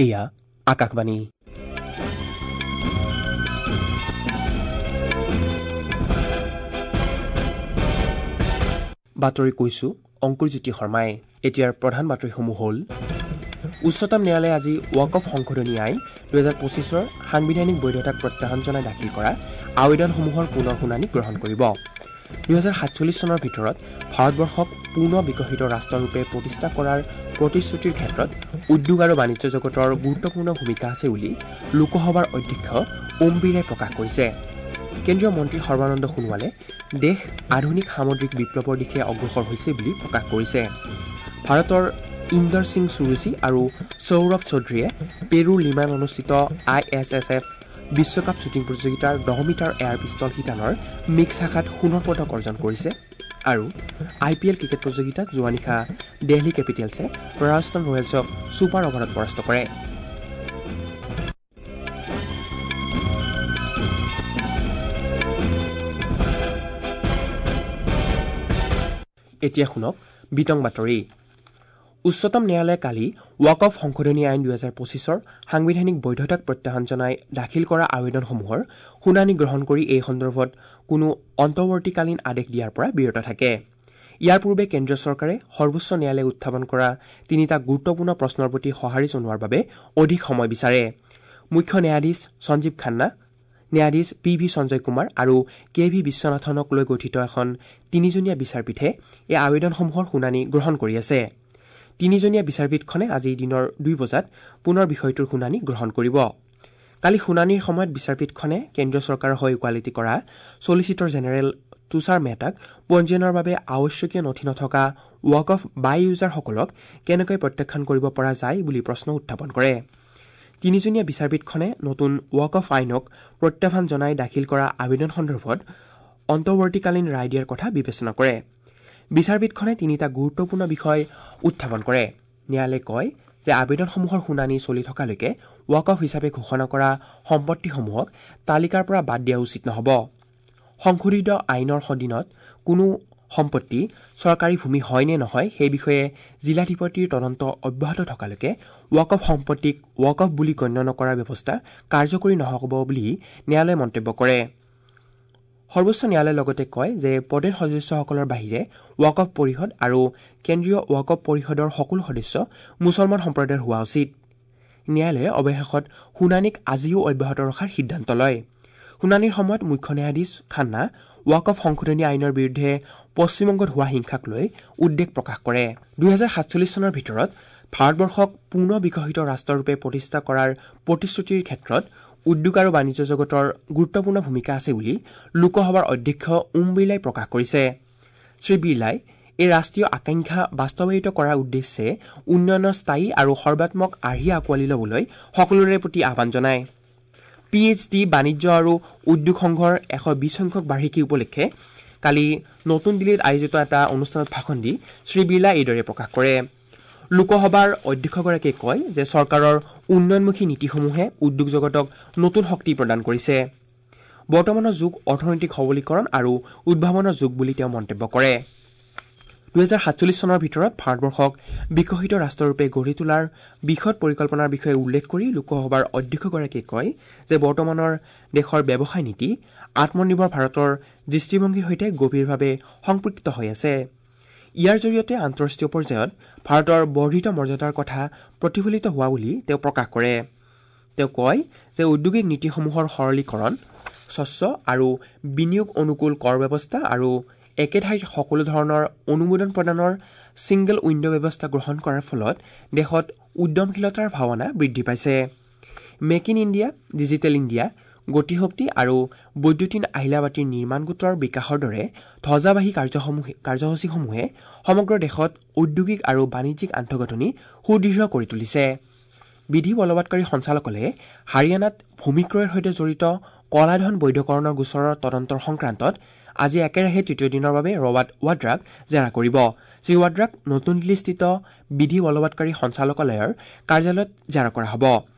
এয়া আকাশবাণী। বাতৰি কৈছো অংকুৰজ্যোতি শৰ্মাই। এতিয়াৰ প্ৰধান বাতৰিসমূহ হ'ল: উচ্চতম ন্যায়ালয়ে আজি ৱাকফ সংশোধনী আইন 2025ৰ সাংবিধানিক বৈধতাক প্ৰত্যাহ্বান জনাই দাখিল কৰা আবেদনসমূহৰ পুনৰ শুনানি গ্ৰহণ কৰিব। 2047 চনৰ ভিতৰত ভাৰতবৰ্ষক পূৰ্ণ বিকশিত ৰাষ্ট্ৰৰূপে প্ৰতিষ্ঠা কৰাৰ প্ৰতিশ্ৰুতিৰ ক্ষেত্ৰত উদ্যোগ আৰু বাণিজ্য জগতৰ গুৰুত্বপূৰ্ণ ভূমিকা আছে বুলি লোকসভাৰ অধ্যক্ষ ওম বিৰলাই প্ৰকাশ কৰিছে। কেন্দ্ৰীয় মন্ত্ৰী সৰ্বানন্দ সোণোৱালে দেশ আধুনিক সামুদ্ৰিক বিপ্লৱৰ দিশে অগ্ৰসৰ হৈছে বুলি প্ৰকাশ কৰিছে। ভাৰতৰ ইন্দৰ সিং সুৰুচি আৰু সৌৰভ চৌধুৰীয়ে পেৰুৰ লিমান অনুষ্ঠিত ISSF বিশ্বকাপ শ্বুটিং প্ৰতিযোগিতাৰ 10 মিটাৰ এয়াৰ পিষ্টল শিতানৰ মিক্স শাখাত সোণৰ পদক অৰ্জন কৰিছে। আৰু IPL cricket প্ৰতিযোগিতাত যোৱা নিশা দেলহি কেপিটেলছে ৰাজস্থান ৰয়েলছক ছুপাৰ অভাৰত পৰাস্ত কৰে। এতিয়া শুনক বিতং বাতৰি। উচ্চতম ন্যায়ালয়ে কালি ৱাকফ সংশোধনী আইন 2025ৰ সাংবিধানিক বৈধতাক প্ৰত্যাহ্বান জনাই দাখিল কৰা আবেদনসমূহৰ শুনানি গ্ৰহণ কৰি এই সন্দৰ্ভত কোনো অন্তৱৰ্তীকালীন আদেশ দিয়াৰ পৰা বিৰত থাকে। ইয়াৰ পূৰ্বে কেন্দ্ৰীয় চৰকাৰে সৰ্বোচ্চ ন্যায়ালয়ে উত্থাপন কৰা তিনিটা গুৰুত্বপূৰ্ণ প্ৰশ্নৰ প্ৰতি সঁহাৰি জনোৱাৰ বাবে অধিক সময় বিচাৰে। মুখ্য ন্যায়াধীশ সঞ্জীৱ খান্না, ন্যায়াধীশ পি ভি সঞ্জয় কুমাৰ আৰু কে ভি বিশ্বনাথনক লৈ গঠিত এখন তিনিজনীয়া বিচাৰপীঠে এই আবেদনসমূহৰ শুনানি গ্ৰহণ কৰি আছে। তিনিজনীয়া বিচাৰপীঠখনে আজি দিনৰ 2 বজাত পুনৰ বিষয়টোৰ শুনানি গ্ৰহণ কৰিব। কালি শুনানিৰ সময়ত বিচাৰপীঠখনে কেন্দ্ৰীয় চৰকাৰৰ হৈ ওকালতি কৰা ছলিচিটৰ জেনেৰেল তুষাৰ মেহতাক পঞ্জীয়নৰ বাবে আৱশ্যকীয় নথি নথকা ৱাকফ বাই ইউজাৰসকলক কেনেকৈ প্ৰত্যাখ্যান কৰিব পৰা যায় বুলি প্ৰশ্ন উত্থাপন কৰে। তিনিজনীয়া বিচাৰপীঠখনে নতুন ৱাকফ আইনক প্ৰত্যাহ্বান জনাই দাখিল কৰা আবেদন সন্দৰ্ভত অন্তৱৰ্তীকালীন ৰায় দিয়াৰ কথা বিবেচনা কৰে। বিচাৰপীঠখনে তিনিটা গুৰুত্বপূৰ্ণ বিষয় উত্থাপন কৰে। ন্যায়ালয়ে কয় যে আবেদনসমূহৰ শুনানি চলি থকালৈকে ৱাকফ হিচাপে ঘোষণা কৰা সম্পত্তিসমূহক তালিকাৰ পৰা বাদ দিয়া উচিত নহ'ব। সংশোধিত আইনৰ অধীনত কোনো সম্পত্তি চৰকাৰী ভূমি হয় নে নহয় সেই বিষয়ে জিলাধিপতিৰ তদন্ত অব্যাহত থকালৈকে ৱাকফ সম্পত্তিক ৱাকফ বুলি গণ্য নকৰাৰ ব্যৱস্থা কাৰ্যকৰী নহ'ব বুলি ন্যায়ালয়ে মন্তব্য কৰে। সৰ্বোচ্চ ন্যায়ালয়ে লগতে কয় যে পদেৰ সদস্যসকলৰ বাহিৰে ৱাকফ পৰিষদ আৰু কেন্দ্ৰীয় ৱাকফ পৰিষদৰ সকলো সদস্য মুছলমান সম্প্ৰদায়ৰ হোৱা উচিত। ন্যায়ালয়ে অৱশেষত শুনানিক আজিও অব্যাহত ৰখাৰ সিদ্ধান্ত লয়। শুনানিৰ সময়ত মুখ্য ন্যায়াধীশ খান্না ৱাকফ সংশোধনী আইনৰ বিৰুদ্ধে পশ্চিমবংগত হোৱা হিংসাক লৈ উদ্বেগ প্ৰকাশ কৰে। 2047 চনৰ ভিতৰত ভাৰতবৰ্ষক পূৰ্ণ বিকশিত ৰাষ্ট্ৰৰূপে প্ৰতিষ্ঠা কৰাৰ প্ৰতিশ্ৰুতিৰ ক্ষেত্ৰত উদ্যোগ আৰু বাণিজ্য জগতৰ গুৰুত্বপূৰ্ণ ভূমিকা আছে বুলি লোকসভাৰ অধ্যক্ষ ওম বিৰলাই প্ৰকাশ কৰিছে। শ্ৰী বিৰলাই এই ৰাষ্ট্ৰীয় আকাংক্ষা বাস্তৱায়িত কৰাৰ উদ্দেশ্যে উন্নয়নৰ স্থায়ী আৰু সৰ্বাত্মক আৰ্হি আঁকোৱালি ল'বলৈ সকলোৰে প্ৰতি আহ্বান জনায়। PhD বাণিজ্য আৰু উদ্যোগ সংঘৰ 120 সংখ্যক বাৰ্ষিকী উপলক্ষে কালি নতুন দিল্লীত আয়োজিত এটা অনুষ্ঠানত ভাষণ দি শ্ৰী বিৰলাই এইদৰে প্ৰকাশ কৰে। লোকসভাৰ অধ্যক্ষগৰাকীয়ে কয় যে চৰকাৰৰ উন্নয়নমুখী নীতিসমূহে উদ্যোগ জগতক নতুন শক্তি প্ৰদান কৰিছে। বৰ্তমানৰ যুগ অৰ্থনৈতিক সবলীকৰণ আৰু উদ্ভাৱনৰ যুগ বুলি তেওঁ মন্তব্য কৰে। 2047 চনৰ ভিতৰত ভাৰতবৰ্ষক বিকশিত ৰাষ্ট্ৰৰূপে গঢ়ি তোলাৰ বিশদ পৰিকল্পনাৰ বিষয়ে উল্লেখ কৰি লোকসভাৰ অধ্যক্ষগৰাকীয়ে কয় যে বৰ্তমানৰ দেশৰ ব্যৱসায় নীতি আত্মনিৰ্ভৰ ভাৰতৰ দৃষ্টিভংগীৰ সৈতে গভীৰভাৱে সম্পৃক্ত হৈ আছে। ইয়াৰ জৰিয়তে আন্তঃৰাষ্ট্ৰীয় পৰ্যায়ত ভাৰতৰ বৰ্ধিত মৰ্যাদাৰ কথা প্ৰতিফলিত হোৱা বুলি তেওঁ প্ৰকাশ কৰে। তেওঁ কয় যে ঔদ্যোগিক নীতিসমূহৰ সৰলীকৰণ, স্বচ্ছ আৰু বিনিয়োগ অনুকূল কৰ ব্যৱস্থা আৰু একে ঠাইত সকলো ধৰণৰ অনুমোদন প্ৰদানৰ ছিংগল উইণ্ড' ব্যৱস্থা গ্ৰহণ কৰাৰ ফলত দেশত উদ্যমশীলতাৰ ভাৱনা বৃদ্ধি পাইছে। Make in India, digital India, গতিশক্তি আৰু বৈদ্যুতিন আহিলাবাতিৰ নিৰ্মাণ গোটৰ বিকাশৰ দৰে ধ্বজাবাহী কাৰ্যসূচীসমূহে সমগ্ৰ দেশত ঔদ্যোগিক আৰু বাণিজ্যিক আন্তঃগাঁথনি সুদৃঢ় কৰি তুলিছে। বিধি বলবৎকাৰী সঞ্চালকালয়ে হাৰিয়ানাত ভূমি ক্ৰয়ৰ সৈতে জড়িত কলাধন বৈধকৰণৰ গোচৰৰ তদন্তৰ সংক্ৰান্তত আজি একেৰাহে তৃতীয় দিনৰ বাবে ৰবাৰ্ট ৱাড্ৰাক জেৰা কৰিব। শ্ৰী ৱাড্ৰাক নতুন দিল্লীস্থিত বিধি বলবৎকাৰী সঞ্চালকালয়ৰ কাৰ্যালয়ত জেৰা কৰা হ'ব।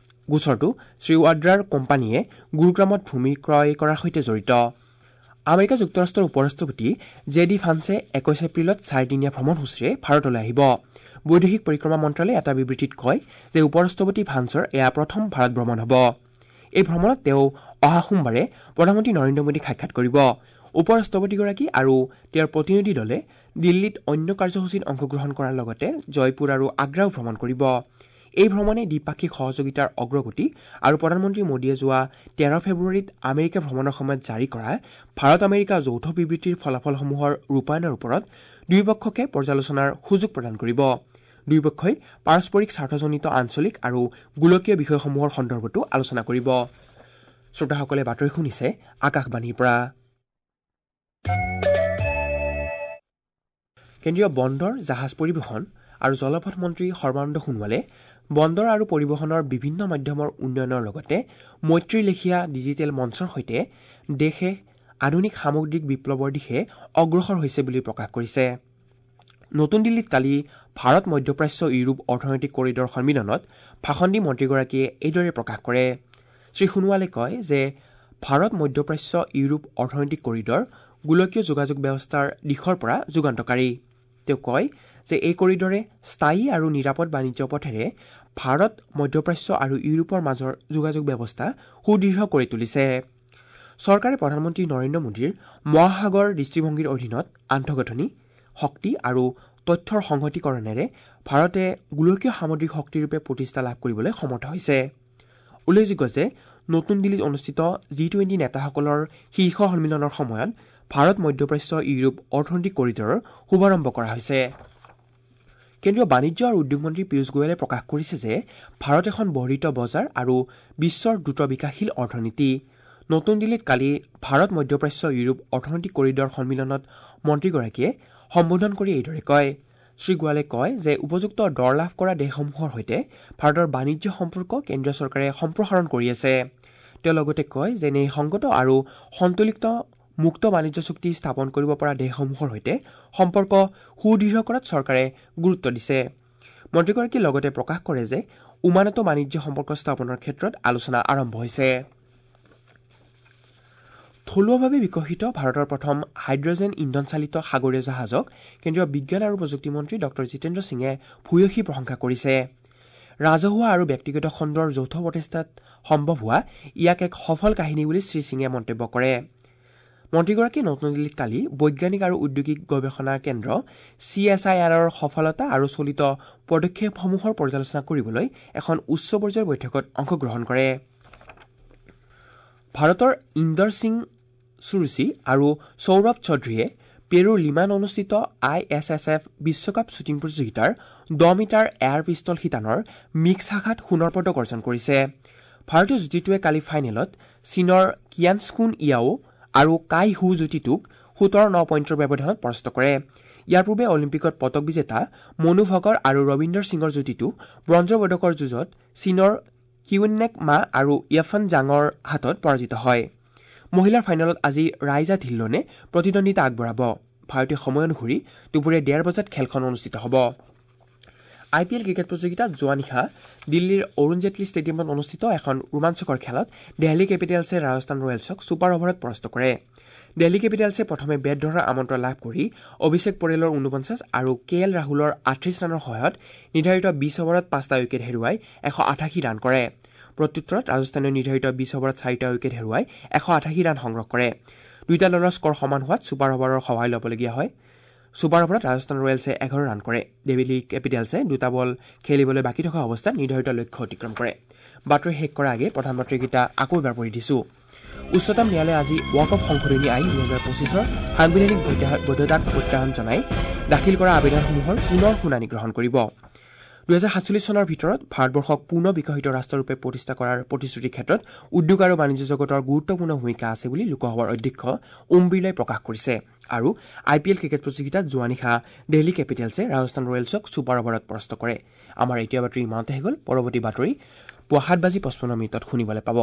গোচৰটো শ্ৰী ৱাড্ৰাৰ কোম্পানীয়ে গুৰুগ্ৰামত ভূমি ক্ৰয় কৰাৰ সৈতে জড়িত। আমেৰিকা যুক্তৰাষ্ট্ৰৰ উপ ৰাষ্ট্ৰপতি জে ডি ভান্সে 21 এপ্ৰিলত 4 দিনীয়া ভ্ৰমণসূচীৰে ভাৰতলৈ আহিব। বৈদেশিক পৰিক্ৰমা মন্ত্ৰালয়ে এটা বিবৃতিত কয় যে উপ ৰাষ্ট্ৰপতি ভান্সৰ এয়া প্ৰথম ভাৰত ভ্ৰমণ হ'ব। এই ভ্ৰমণত তেওঁ অহা সোমবাৰে প্ৰধানমন্ত্ৰী নৰেন্দ্ৰ মোদীক সাক্ষাৎ কৰিব। উপ ৰাষ্ট্ৰপতিগৰাকী আৰু তেওঁৰ প্ৰতিনিধি দলে দিল্লীত অন্য কাৰ্যসূচীত অংশগ্ৰহণ কৰাৰ লগতে জয়পুৰ আৰু আগ্ৰাও ভ্ৰমণ কৰিব। এই ভ্ৰমণে দ্বিপাক্ষিক সহযোগিতাৰ অগ্ৰগতি আৰু প্ৰধানমন্ত্ৰী মোদীয়ে যোৱা 13 ফেব্ৰুৱাৰীত আমেৰিকা ভ্ৰমণৰ সময়ত জাৰি কৰা ভাৰত আমেৰিকা যৌথ বিবৃতিৰ ফলাফলসমূহৰ ৰূপায়ণৰ ওপৰত দুয়োপক্ষকে পৰ্যালোচনাৰ সুযোগ প্ৰদান কৰিব। দুয়োপক্ষই পাৰস্পৰিক স্বাৰ্থজনিত আঞ্চলিক আৰু গোলকীয় বিষয়সমূহৰ সন্দৰ্ভতো আলোচনা কৰিব। শ্ৰোতাসকলে বাতৰি শুনিছে আকাশবাণীৰ পৰা। কেন্দ্ৰীয় বন্দৰ, জাহাজ পৰিবহণ আৰু জলপথ মন্ত্ৰী সৰ্বানন্দ সোণোৱালে বন্দৰ আৰু পৰিবহণৰ বিভিন্ন মাধ্যমৰ উন্নয়নৰ লগতে মৈত্ৰীৰ লেখীয়া ডিজিটেল মঞ্চৰ সৈতে দেশে আধুনিক সামগ্ৰিক বিপ্লৱৰ দিশে অগ্ৰসৰ হৈছে বুলি প্ৰকাশ কৰিছে। নতুন দিল্লীত কালি ভাৰত মধ্যপ্ৰাচ্য ইউৰোপ অৰ্থনৈতিক কৰিডৰ সন্মিলনত ভাষণ দি মন্ত্ৰীগৰাকীয়ে এইদৰে প্ৰকাশ কৰে। শ্ৰী সোণোৱালে কয় যে ভাৰত মধ্যপ্ৰাচ্য ইউৰোপ অৰ্থনৈতিক কৰিডৰ গোলকীয় যোগাযোগ ব্যৱস্থাৰ দিশৰ পৰা যুগান্তকাৰী। তেওঁ কয় যে এই কৰিডৰে স্থায়ী আৰু নিৰাপদ বাণিজ্য পথেৰে ভাৰত, মধ্যপ্ৰাচ্য আৰু ইউৰোপৰ মাজৰ যোগাযোগ ব্যৱস্থা সুদৃঢ় কৰি তুলিছে। চৰকাৰে প্ৰধানমন্ত্ৰী নৰেন্দ্ৰ মোদীৰ মহাসাগৰ দৃষ্টিভংগীৰ অধীনত আন্তঃগাঁথনি, শক্তি আৰু তথ্যৰ সংহতিকৰণেৰে ভাৰতে গোলকীয় সামুদ্ৰিক শক্তিৰূপে প্ৰতিষ্ঠা লাভ কৰিবলৈ সমৰ্থ হৈছে। উল্লেখযোগ্য যে নতুন দিল্লীত অনুষ্ঠিত G20 নেতাসকলৰ শীৰ্ষ সন্মিলনৰ সময়ত ভাৰত মধ্যপ্ৰাচ্য ইউৰোপ অৰ্থনৈতিক কৰিডৰৰ শুভাৰম্ভ কৰা হৈছে। কেন্দ্ৰীয় বাণিজ্য আৰু উদ্যোগ মন্ত্ৰী পীয়ুষ গোৱেলে প্ৰকাশ কৰিছে যে ভাৰত এখন বৰ্ধিত বজাৰ আৰু বিশ্বৰ দ্ৰুত বিকাশশীল অৰ্থনীতি। নতুন দিল্লীত কালি ভাৰত মধ্যপ্ৰাচ্য ইউৰোপ অৰ্থনৈতিক কৰিডৰ সন্মিলনত মন্ত্ৰীগৰাকীয়ে সম্বোধন কৰি এইদৰে কয়। শ্ৰী গোৱালে কয় যে উপযুক্ত দৰ লাভ কৰা দেশসমূহৰ সৈতে ভাৰতৰ বাণিজ্য সম্পৰ্ক কেন্দ্ৰীয় চৰকাৰে সম্প্ৰসাৰণ কৰি আছে। তেওঁ লগতে কয় যে ন্যায়সংগত আৰু সন্তুলিত মুক্ত বাণিজ্য চুক্তি স্থাপন কৰিব পৰা দেশসমূহৰ সৈতে সম্পৰ্ক সুদৃঢ় কৰাত চৰকাৰে গুৰুত্ব দিছে। মন্ত্ৰীগৰাকীয়ে লগতে প্ৰকাশ কৰে যে ওমানতো বাণিজ্য সম্পৰ্ক স্থাপনৰ ক্ষেত্ৰত আলোচনা আৰম্ভ হৈছে। থলুৱাভাৱে বিকশিত ভাৰতৰ প্ৰথম হাইড্ৰজেন ইন্ধনচালিত সাগৰীয় জাহাজক কেন্দ্ৰীয় বিজ্ঞান আৰু প্ৰযুক্তি মন্ত্ৰী ডঃ জিতেন্দ্ৰ সিঙে ভূয়সী প্ৰশংসা কৰিছে। ৰাজহুৱা আৰু ব্যক্তিগত খণ্ডৰ যৌথ প্ৰচেষ্টাত সম্ভৱ হোৱা ইয়াক এক সফল কাহিনী বুলি শ্ৰী সিঙে মন্তব্য কৰে। মন্ত্ৰীগৰাকীয়ে নতুন দিল্লীত কালি বৈজ্ঞানিক আৰু ঔদ্যোগিক গৱেষণা কেন্দ্ৰ CSIRৰ সফলতা আৰু চলিত পদক্ষেপসমূহৰ পৰ্যালোচনা কৰিবলৈ এখন উচ্চ পৰ্যায়ৰ বৈঠকত অংশগ্ৰহণ কৰে। ভাৰতৰ ইন্দৰ সিং সুৰুচি আৰু সৌৰভ চৌধুৰীয়ে পেৰুৰ লিমান অনুষ্ঠিত ISSF বিশ্বকাপ শ্বুটিং প্ৰতিযোগিতাৰ 10 মিটাৰ এয়াৰ পিষ্টল শিতানৰ মিক্স শাখাত সোণৰ পদক অৰ্জন কৰিছে। ভাৰতীয় যুটিটোৱে কালি ফাইনেলত চীনৰ কিয়ানস্কুন ইয়াও আৰু কাই হু যুটিটোক 17-9 পইণ্টৰ ব্যৱধানত পৰাস্ত কৰে। ইয়াৰ পূৰ্বে অলিম্পিকত পদক বিজেতা মনু ভকৰ আৰু ৰবীন্দৰ সিঙৰ যুটিটো ব্ৰঞ্জৰ পদকৰ যুঁজত চীনৰ কিউনেক মা আৰু য়েফন জাঙৰ হাতত পৰাজিত হয়। মহিলাৰ ফাইনেলত আজি ৰাইজা ধিল্লনে প্ৰতিদ্বন্দ্বিতা আগবঢ়াব। ভাৰতীয় সময় অনুসৰি দুপৰীয়া 1:30 বজাত খেলখন অনুষ্ঠিত হ'ব। IPL cricket প্ৰতিযোগিতাত যোৱা নিশা দিল্লীৰ অৰুণ জেটলী ষ্টেডিয়ামত অনুষ্ঠিত এখন ৰোমাঞ্চকৰ খেলত দেলহি কেপিটেলছে ৰাজস্থান ৰয়েলছক ছুপাৰ অভাৰত পৰাস্ত কৰে। দেলহি কেপিটেলছে প্ৰথমে বেট ধৰাৰ আমন্ত্ৰণ লাভ কৰি অভিষেক পৰেলৰ 49 আৰু কে এল ৰাহুলৰ 38 ৰানৰ সহায়ত নিৰ্ধাৰিত 20 অভাৰত 5টা উইকেট হেৰুৱাই 188 ৰান কৰে। প্ৰত্যুত্তৰত ৰাজস্থানে নিৰ্ধাৰিত 20 অভাৰত 4টা উইকেট হেৰুৱাই 188 ৰান সংগ্ৰহ কৰে। দুয়োটা দলৰ স্ক'ৰ সমান হোৱাত ছুপাৰ অভাৰৰ সহায় ল'বলগীয়া হয়। ছুপাৰ অভাৰত ৰাজস্থান ৰয়েলছে 11 ৰান কৰে। দিল্লী কেপিটেলছে দুটা বল খেলিবলৈ বাকী থকা অৱস্থাত নিৰ্ধাৰিত লক্ষ্য অতিক্ৰম কৰে। বাতৰি শেষ কৰাৰ আগে প্ৰধান বাতৰিকেইটা আকৌ এবাৰ পঢ়ি দিছো। উচ্চতম ন্যায়ালয়ে আজি ৱাকফ সংশোধনী আইন 2025ৰ সাংবিধানিক বৈধতাক প্ৰত্যাহ্বান জনাই দাখিল কৰা আবেদনসমূহৰ পুনৰ শুনানি গ্ৰহণ কৰিব। 2047 চনৰ ভিতৰত ভাৰতবৰ্ষক পূৰ্ণ বিকশিত ৰাষ্ট্ৰৰূপে প্ৰতিষ্ঠা কৰাৰ প্ৰতিশ্ৰুতিৰ ক্ষেত্ৰত উদ্যোগ আৰু বাণিজ্য জগতৰ গুৰুত্বপূৰ্ণ ভূমিকা আছে বুলি লোকসভাৰ অধ্যক্ষ ওম বিৰলাই প্ৰকাশ কৰিছে। আৰু IPL cricket প্ৰতিযোগিতাত যোৱা নিশা দিল্লী কেপিটেলছে ৰাজস্থান ৰয়েলছক ছুপাৰ অভাৰত পৰাস্ত কৰে। আমাৰ এতিয়া বাতৰি ইমানতে হৈ গ'ল। পৰৱৰ্তী বাতৰি পুৱা 7:55 শুনিবলৈ পাব।